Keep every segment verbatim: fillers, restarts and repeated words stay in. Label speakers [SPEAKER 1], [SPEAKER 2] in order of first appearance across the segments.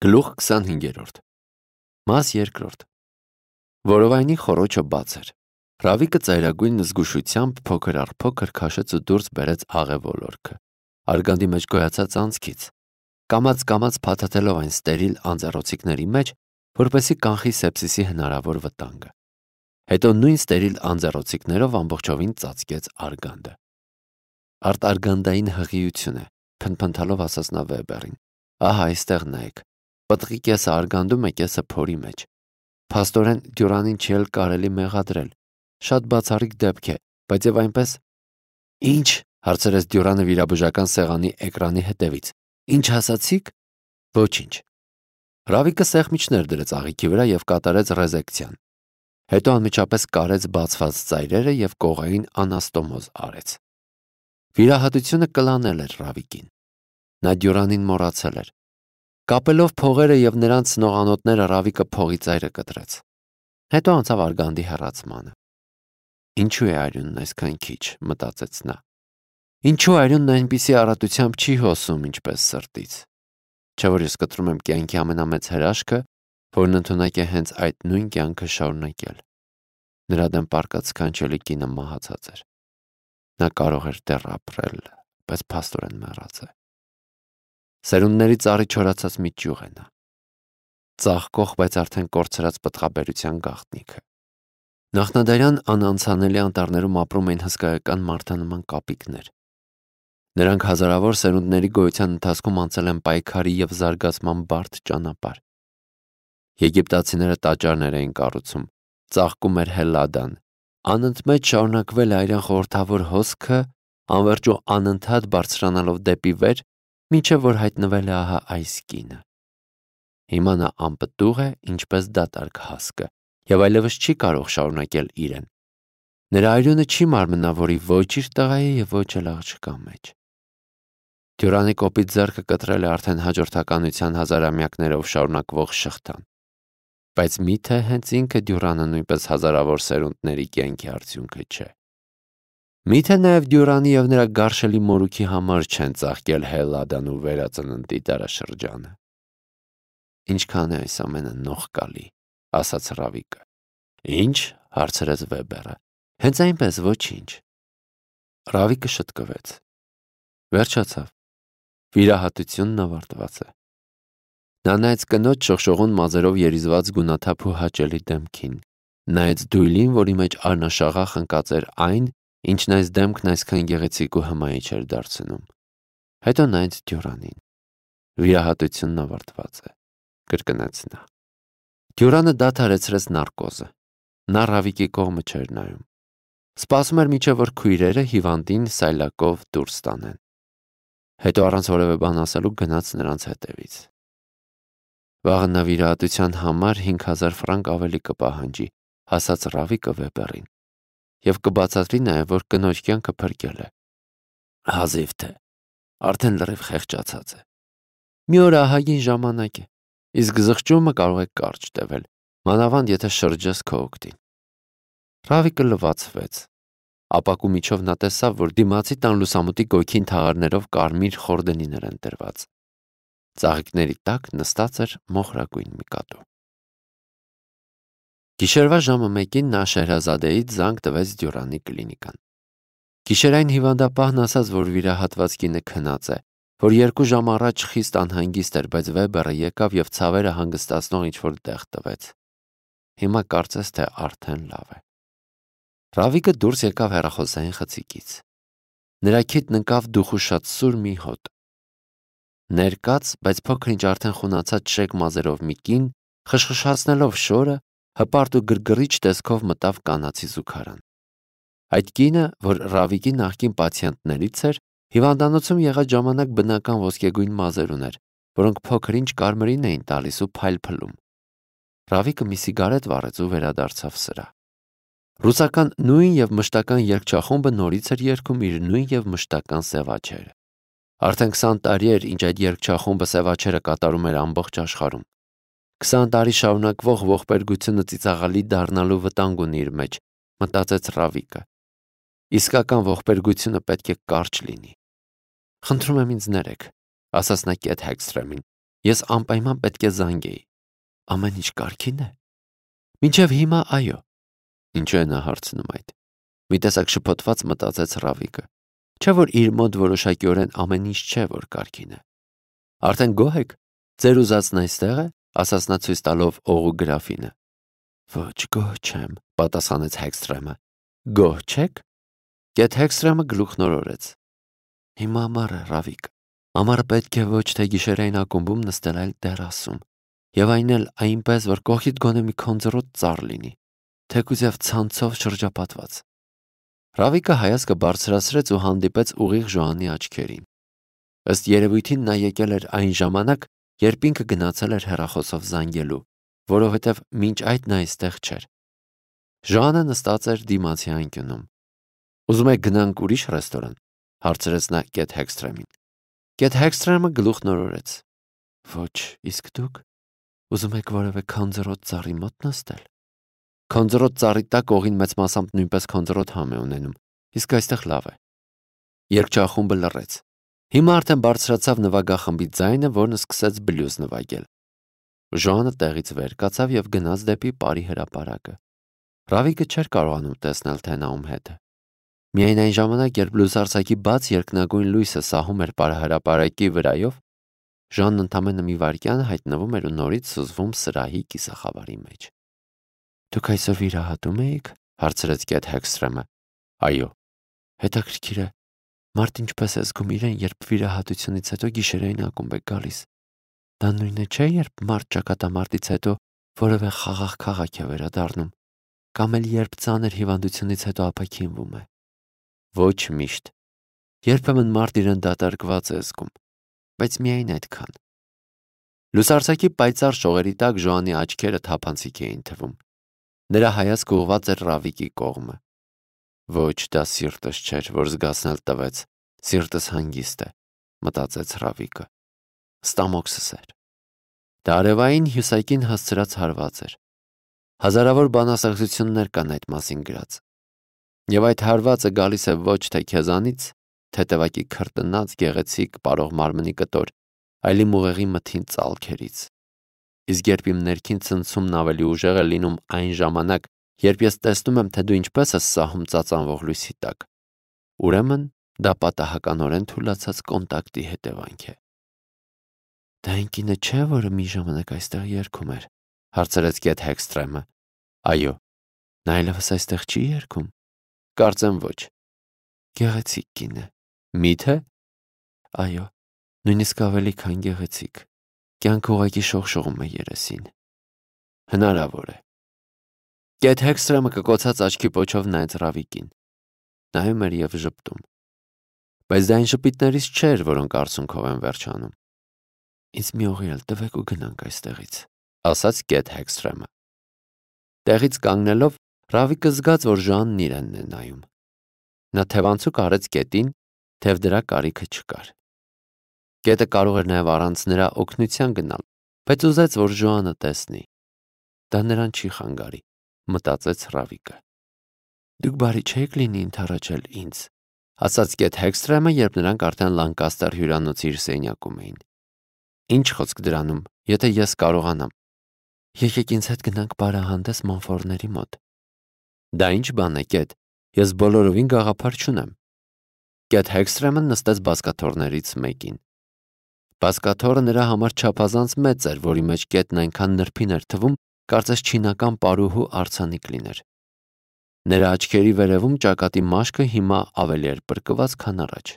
[SPEAKER 1] Գլուխ քսանհինգերորդ Մաս երկրորդ Որովայնի խոռոչը բաց էր։ Ռավիկը ծայրագույն զգուշությամբ փոքր առ փոքր քաշեց ու դուրս բերեց աղե ոլորքը, արգանդի մեջ գոյացած անցքից, կամաց-կամաց փաթաթելով այն ստերիլ անձեռոցիկների մեջ, որպեսզի կանխի սեպսիսի հնարավոր վտանգը։ Հետո նույն ստերիլ անձեռոցիկներով ամբողջովին ծածկեց արգանդը։ Արտարգանդային հղիություն է, փնփնթալով ասաց նա Վեբերին։ Ահա այստեղ նայեք, պտղի կեսը արգանդում է, կեսը փորի մեջ։ Փաստորեն Դյուրանին չի էլ կարելի մեղադրել։ Շատ բացառիկ դեպք է, բայց եւ այնպես։ Ինչ, հարցրեց Դյուրանը վիրաբուժական սեղանի էկրանի հետևից։ Ինչ ասացիք։ Ոչինչ։ Ռավիկը սեղմիչներ դրեց աղիքի վրա եւ կատարեց ռեզեկցիան։ Հետո անմիջապես կարեց բացված ծայրերը եւ կողային անաստոմոզ արեց։ Վիրահատությունը կլանել էր Ռավիկին։ Նա Դյուրանին մոռացել էր։ Կապելով փողերը եւ նրանց նողանոթները Ռավիկը փողի ծայրը կտրեց։ Հետո անցավ արգանդի հեռացմանը։ Ինչու է արյունն այսքան քիչ, մտածեց նա։ Ինչու արյունն այնպիսի արատությամբ չի հոսում, ինչպես սրտից։ Չէ՞ որ ես կտրում եմ կյանքի ամենամեծ հրաշքը, որն ընդունակ է հենց այդ նույն կյանքը շարունակել։ Նրա դեմ պառկած սքանչելի կինը մահացած էր։ Նա կարող էր դեռ ապրել, բայց փաստորեն մեռած է։ Սերունդների ծառի չորացած մի ճյուղ է նա։ Ծաղկող, բայց արդեն կորցրած պտղաբերության գաղտնիքը։ Նախնադարյան անանցանելի անտառներում ապրում էին հսկայական մարդանման կապիկներ։ Նրանք հազարավոր սերունդների գոյության ընթացքում անցել են պայքարի եւ զարգացման բարդ ճանապարհ։ Եգիպտացիները տաճարներ էին կառուցում, ծաղկում էր Հելլադան, անընդմեջ շարունակվել է այրան խորհրդավոր հոսքը, անվերջ ու անընդհատ բարձրանալով դեպի վեր, մինչև որ հայտնվել է ահա այս կինը։ Հիմա նա անպտուղ է, ինչպես դատարկ հասկը, եւ այլևս չի կարող շարունակել իրեն։ Նրա արյունը չի մարմնավորի ոչ իր տղայի եւ ոչ էլ աղջկա մեջ։ Դյուրանի կոպիտ ձեռքը կտրել է արդեն հաջորդականության հազարամյակներով շարունակվող շղթան։ Բայց միթե հենց ինքը Դյուրանը նույնպես հազարավոր սերունդների կյանքի արդյունքը չէ։ Միթե նաև Դյուրանի եւ նրա գարշելի մորուքի համար չեն ծաղկել Հելլադան ու վերածննդի դարաշրջանը։ Ինչքան է այս ամենը նողկալի, ասաց Ռավիկը։ Ինչ, հարցրեց Վեբերը։ Հենց այնպես, ոչինչ։ Ռավիկը շտկվեց։ Վերջացավ։ Վիրահատությունն ավարտված է։ Նա նայեց կնոջ շողշողուն մազերով երիզված գունաթափ ու հաճելի դեմքին, նայեց դույլին, որի մեջ արնաշաղախ ընկած էր այն, ինչն այս դեմքն այսքան գեղեցիկ ու հմայիչ էր դարձնում։ Հետո նայեց Դյուրանին։ Վիրահատությունն ավարտված է, կրկնեց նա։ Դյուրանը դադարեցրեց նարկոզը։ Նա Ռավիկի կողմը չէր նայում։ Սպասում էր մինչև որ քույրերը հիվանդին սայլակով դուրս տանեն։ Հետո առանց որևէ բան ասելու գնաց նրանց հետևից։ Վաղը նա վիրահատության համար հինգ հազար ֆրանկ ավելի կպահանջի, ասաց Ռավիկը Վեբերին։ Եվ կբացատրի նաև, որ կնոջ կյանքը փրկել է։ Հազիվ թե, արդեն լրիվ խեղճացած է։ Մի օր ահագին ժամանակ է, իսկ զղջումը կարող է կարճ տևել, մանավանդ եթե շրջես քո օգտին։ Ռավիկը լվացվեց։ Ապակու միջով նա տեսավ, որ դիմացի տան լուսամուտի գույքին թաղարներով կարմիր խորդենիներ են դրված։ Ծաղիկների տակ նստած էր մոխրագույն մի կատու։ Գիշերվա ժամը մեկին նա Շեհրազադեից զանգ տվեց Դյուրանի կլինիկան։ Գիշերային հիվանդապահն ասաց, որ վիրահատված կինը քնած է, որ երկու ժամ առաջ խիստ անհանգիստ էր, բայց Վեբերը եկավ եւ ցավերը հանգստացնող ինչ-որ տեղ տվեց։ Հիմա կարծես թե արդեն լավ է։ Ռավիկը դուրս եկավ հեռախոսային խցիկից։ Նրա քիթն ընկավ դուխուշած սուր մի հոտ։ Ներկած, բայց փոքր-ինչ արդեն խունացած շեկ մազերով մի կին, խշխշացնելով շորը, հպարտ ու գրգռիչ տեսքով մտավ կանացի զուգարան։ Այդ կինը, որ Ռավիկի նախկին պացիենտներից էր, հիվանդանոցում եղած ժամանակ բնական ոսկեգույն մազեր ուներ, որոնք փոքր-ինչ կարմրին էին տալիս ու փայլփլում։ Ռավիկը մի սիգարետ վառեց ու վերադարձավ սրա։ Ռուսական նույն եւ մշտական երգչախումբը նորից էր երգում իր նույն եւ մշտական սևաչերը։ Արդեն քսան տարի էր, ինչ այդ երգչախումբը սևաչերը կատարում էր ամբողջ աշխարհում։ Քսան տարի շարունակվող ողբերգությունը ծիծաղալի դառնալու վտանգ ունի իր մեջ, մտածեց Ռավիկը։ Իսկական ողբերգությունը պետք է կարճ լինի։ Խնդրում եմ ինձ ներեք, ասաց նա Կեթ Հեքսթրեմին, Ես անպայման պետք է զանգեի։ Ամեն ինչ կարգին է։ Մինչև հիմա այո։ Ինչու է նա հարցնում այդ։ Մի տեսակ շփոթված մտածեց Ռավիկը։ Չէ՞ որ իր մոտ որոշակիորեն ամեն ինչ չէ, որ կարգին է։ Արդեն գոհ եք։ Ձեր ուզածն այստեղ է, ասաց նա ցույց տալով օղու գրաֆինը։ Ոչ, գոհ չեմ, պատասխանեց Հեքսթրեմը։ Գոհ չեք։ Գեթ Հեքսթրեմը գլուխն օրորեց։ Հիմա ամառ է, Ռավիկ։ Ամառը պետք է ոչ թե գիշերային ակումբում նստել, այլ տերասում։ Եվ այն էլ այնպես, որ կողքիդ գոնե մի քոնձռոտ ծառ լինի, թեկուզև ցանցով շրջապատված։ Ռավիկը հայացքը բարձրացրեց ու հանդիպեց ուղիղ Ժոանի աչքերին։ Ըստ երևույթին նա եկել էր այն ժամանակ, երբ ինքը գնացել էր հեռախոսով զանգելու, որովհետև մինչ այդ նա այստեղ չէր։ Ժոանը նստած էր դիմացի անկյունում։ Ուզում եք գնանք ուրիշ ռեստորան, հարցրեց նա Գեթ Հեքսթրեմին։ Գեթ Հեքսթրեմը գլուխն օրորեց։ Ոչ, իսկ դուք ուզում եք որևէ քոնձռոտ ծառի մոտ նստել։ Քոնձռոտ ծառի տակ օղին մեծ մասամբ նույնպես քոնձռոտ համ է ունենում, իսկ այստեղ լավ է։ Երգչախումբը լռեց։ Հիմա արդեն բարձրացավ նվագախմբի ձայնը, որն սկսեց բլյուզ նվագել։ Ժոանը տեղից վեր կացավ եւ գնաց դեպի Պարի հրապարակը։ Ռավիկը չէր կարողանում տեսնել, թե նա ում հետ է։ Միայն այն ժամանակ, երբ լուսարձակի բաց երկնագույն լույսը սահում էր պարահրապարակի վրայով, Ժանն ընդամենը մի վայրկյան հայտնվում էր ու նորից սուզվում սրահի կիսախավարի մեջ։ Դուք այսօր վիրահատում եք, հարցրեց Գեթ Հեքսթրեմը։ Այո։ Հետաքրքիր է, մարդ ինչպես է զգում իրեն, երբ վիրահատությունից հետո գիշերային ակումբ է գալիս։ Դա նույնը չէ, երբ մարդ ճակատամարտից հետո որևէ խաղաղ քաղաք է վերադառնում, կամ էլ երբ ծանր հիվանդությունից հետո ապաքինվում է։ Ոչ միշտ։ Երբեմն մարդ իրեն դատարկված է զգում, բայց միայն այդքան։ Լուսարձակի պայծառ շողերի տակ Ժոանի աչքերը թափանցիկ էին թվում։ Նրա հայացքը ուղղված էր Ռավիկի կողմը։ Ոչ, դա սիրտս չէր, որ զգացնել տվեց, սիրտս հանգիստ է, մտածեց Ռավիկը։ Ստամոքսս էր։ Դա արևային հյուսակին հասցրած հարված էր։ Հազարավոր բանասեղություններ կան այդ մասին գրած։ Եվ այդ հարվածը գալիս է ոչ թե քեզանից, թեթևակի քրտնած գեղեցիկ պարող մարմնի կտոր, այլ իմ ուղեղի մթին ծալքերից։ Իսկ երբ իմ ներքին ցնցումն ավելի ուժեղ է լինում այն ժամանակ, երբ ես տեսնում եմ, թե դու ինչպես ես սահում ծածանվող լույսի տակ, ուրեմն դա պատահականորեն թուլացած կոնտակտի հետևանք է։ Դա այն կինը չէ, որը մի ժամանակ այստեղ երգում էր, հարցրեց Գեթ Հեքսթրեմը։ Այո, նա այլևս այստեղ չի երգում։ Կարծեմ ոչ։ Գեղեցիկ կին է։ Մի՞թե։ Այո, նույնիսկ ավելի քան գեղեցիկ։ Կյանքը ուղղակի շողշողում է երեսին։ Հնարավոր է։ Գեթ Հեքսթրեմը կկոցած աչքի պոչով նայեց Ռավիկին։ Նայում էր եւ ժպտում։ Բայց դա այն ժպիտներից չէր, որոնք արցունքով են վերջանում։ Ինձ մի օղի էլ տվեք ու գնանք այստեղից, ասաց Գեթ Հեքսթրեմը։ Տեղից կանգնելով Ռավիկը զգաց, որ Ժանն իրենն է նայում։ Նա թևանցուկ արեց գետին, թեև դրա կարիքը չկար։ Գետը կարող էր նաև առանց նրա օգնության գնալ, բայց ուզեց, որ Ժոանը տեսնի։ Դա նրան չի խանգարի, մտածեց Ռավիկը։ Դուք բարի չեք լինի ընդառաջել ինձ, ասաց Գեթ Հեքսթրեմը, երբ նրանք արդեն Լանկաստեր հյուրանոցի իր սենյակում էին։ Ինչ խոսք դրանում, եթե ես կարողանամ։ Եկեք ինձ հետ գնանք պարահանդես Մոնֆորների մոտ։ Դա ինչ բան է, Գեթ, ես բոլորովին գաղափար չունեմ։ Գեթ Հեքսթրեմը նստեց բազկաթոռներից մեկին։ Բազկաթոռը նրա համար չափազանց մեծ էր, որի մեջ Գետն այնքան նրբին էր թվում, կարծես չինական պարուհու արձանիկ լիներ։ Նրա աչքերի վերևում ճակատի մաշկը հիմա ավելի էր բրկված, քան առաջ։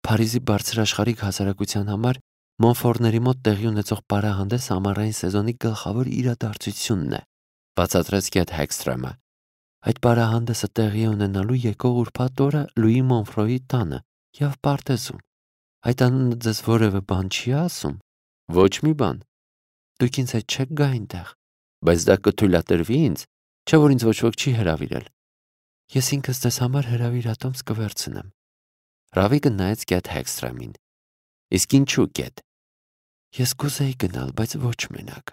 [SPEAKER 1] Փարիզի բարձրաշխարհիկ հասարակության համար Մոնֆորների մոտ տեղի ունեցող պարահանդես ամառային սեզոնի գլխավոր իրադարձությունն է, բացատրեց Գեթ Հեքսթրեմը։ Այդ պարահանդեսը տեղի է ունենալու եկող ուրբաթ օրը Լուի Մոնֆրոյի տանը եւ պարտեզում։ Այդ անունը ձեզ որևէ բան չի ասում։ Ոչ մի բան։ Դուք ինձ հետ չեք գա այնտեղ, բայց դա կթույլատրվի ինձ, չէ՞ որ ինձ ոչ ոք չի հրավիրել։ Ես ինքս ձեզ համար հրավիրատոմս կվերցնեմ։ Ռավիկը նայեց Գեթ Հեքսթրեմին։ Իսկ ինչու Գեթ։ Ես կուզեի գնալ, բայց ոչ մենակ։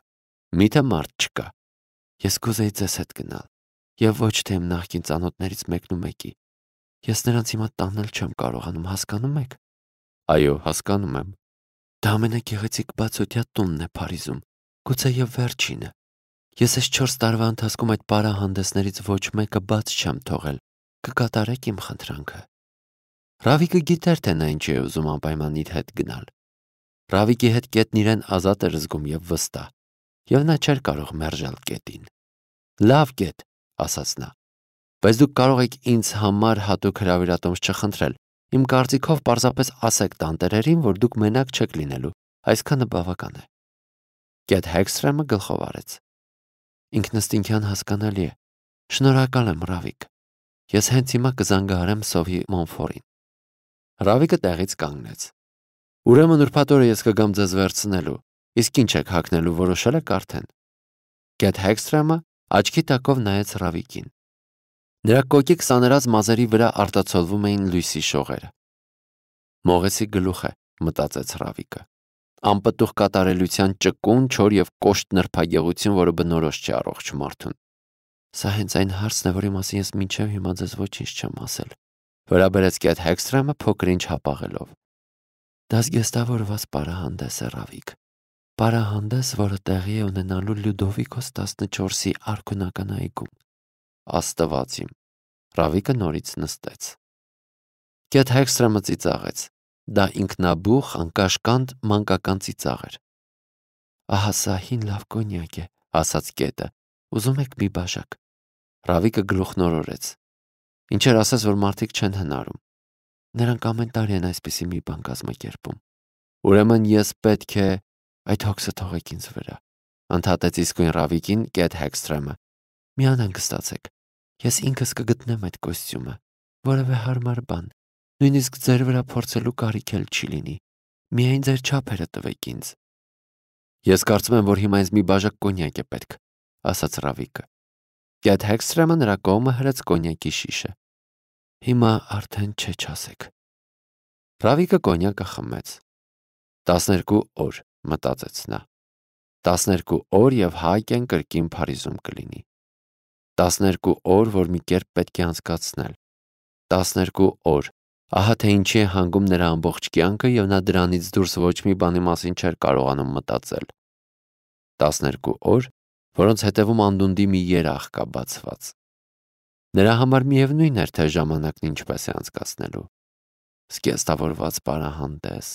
[SPEAKER 1] Միթե մարդ չկա։ Ես կուզեի ձեզ հետ գնալ, եւ ոչ թե իմ նախկին ծանոթներից մեկն ու մեկի։ Ես նրանց հիմա տանել չեմ կարողանում, հասկանում եք։ Այո, հասկանում եմ։ Դա ամենագեղեցիկ բացօթյա տունն է Փարիզում, գուցե եւ վերջինը։ Ես այս չորս տարվա ընթացքում այդ պարահանդեսներից ոչ մեկը բաց չեմ թողել։ Կկատարեք իմ խնդրանքը։ Ռավիկը գիտեր, թե նա ինչ է ուզում անպայման իր հետ գնալ։ Ռավիկի հետ կետն իրեն ազատ էր զգում եւ վստահ, եւ նա չէր կարող մերժել կետին։ Լավ կետ, ասաց նա, բայց դուք կարող եք ինձ համար հատուկ հրավիրատոմս չխնդրել։ Իմ կարծիքով պարզապես ասեք տանտերերին, որ դուք մենակ չեք լինելու, այսքանը բավական է։ Կետ Հեքսթրեմը գլխով արեց։ Ինքնըստինքյան հասկանալի է։ Շնորհակալ եմ, Ռավիկ։ Ես հենց հիմա կզանգահարեմ Սովի Մոնֆորին։ Ռավիկը տեղից կանգնեց։ Ուրեմն ուրբաթ օրը ես կգամ ձեզ վերցնելու, իսկ ինչ եք հագնելու որոշել եք արդեն։ Կետ Հեքսթրեմը աչքի տակով նայեց Ռավիկին։ Նրա կոկիկ սաներած մազերի վրա արտացոլվում էին լույսի շողերը։ Մողեսի գլուխ է, մտածեց Ռավիկը։ Անպտուղ կատարելության ճկուն, չոր եւ կոշտ նրբագեղություն, որը բնորոշ չէ առողջ մարդուն։ Սա հենց այն հարցն է, որի մասին ես մինչև հիմա ձեզ ոչինչ չեմ ասել։ Վերաբերեց Կետ Հեքսթրեմը փոքր-ինչ հապաղելով։ Դա զգեստավորված պարահանդես է, Ռավիկ։ Պարահանդես, որը տեղի է ունենալու Լյուդովիկոս տասնչորսի արքունական այգում։ Աստված իմ։ Ռավիկը նորից նստեց։ Կետ Հեքսթրեմը ծիծաղեց։ Դա ինքնաբուխ, անկաշկանդ, մանկական ծիծաղ էր։ Ահա սա հին լավ կոնյակ է, ասաց Կետը։ Ուզում եք մի բաժակ։ Ռավիկը գլուխնորորեց։ Ինչեր ասես, որ մարդիկ չեն հնարում։ Նրանք ամեն տարի են այսպիսի մի բան կազմակերպում։ Ուրեմն ես պետք է այդ հոգսը թողեք ինձ վրա։ Ընդհատեց իսկույն Ռավիկին Կետ Հեքսթրեմը։ Մի անհանգստացեք։ Ես ինքս կգտնեմ այդ կոստյումը, որևէ հարմար բան, նույնիսկ ձեր վրա փորձելու կարիք էլ չի լինի։ Միայն ձեր չափերը տվեք ինձ։ Ես կարծում եմ, որ հիմա ինձ մի բաժակ կոնյակ է պետք, ասաց Ռավիկը։ Կետ Հեքսթրեմը նրա կողմը հրեց կոնյակի շիշը։ Հիմա արդեն չէ չասեք։ Ռավիկը կոնյակը խմեց։ Տասներկու օր, մտածեց նա։ Տասներկու օր եւ Հայկեն կրկին Փարիզում կլինի։ Տասներկու օր, որ մի կերպ պետք է անցկացնել։ Տասներկու օր, ահա թե ինչի է հանգում նրա ամբողջ կյանքը եւ նա դրանից դուրս ոչ մի բանի մասին չէր կարողանում մտածել։ Տասներկու օր, որոնց հետևում անդունդի մի երախ կա բացված։ Նրա համար միևնույն էր, թե ժամանակն ինչպես է անցկացնելու։ Զգեստավորված պարահանդես։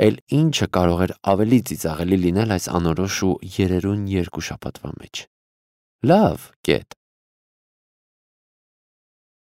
[SPEAKER 1] Էլ ինչը կարող էր ավելի ծիծաղելի լինել այս անորոշ ու երերուն երկու շաբաթվա մեջ։ Լավ, Կետ,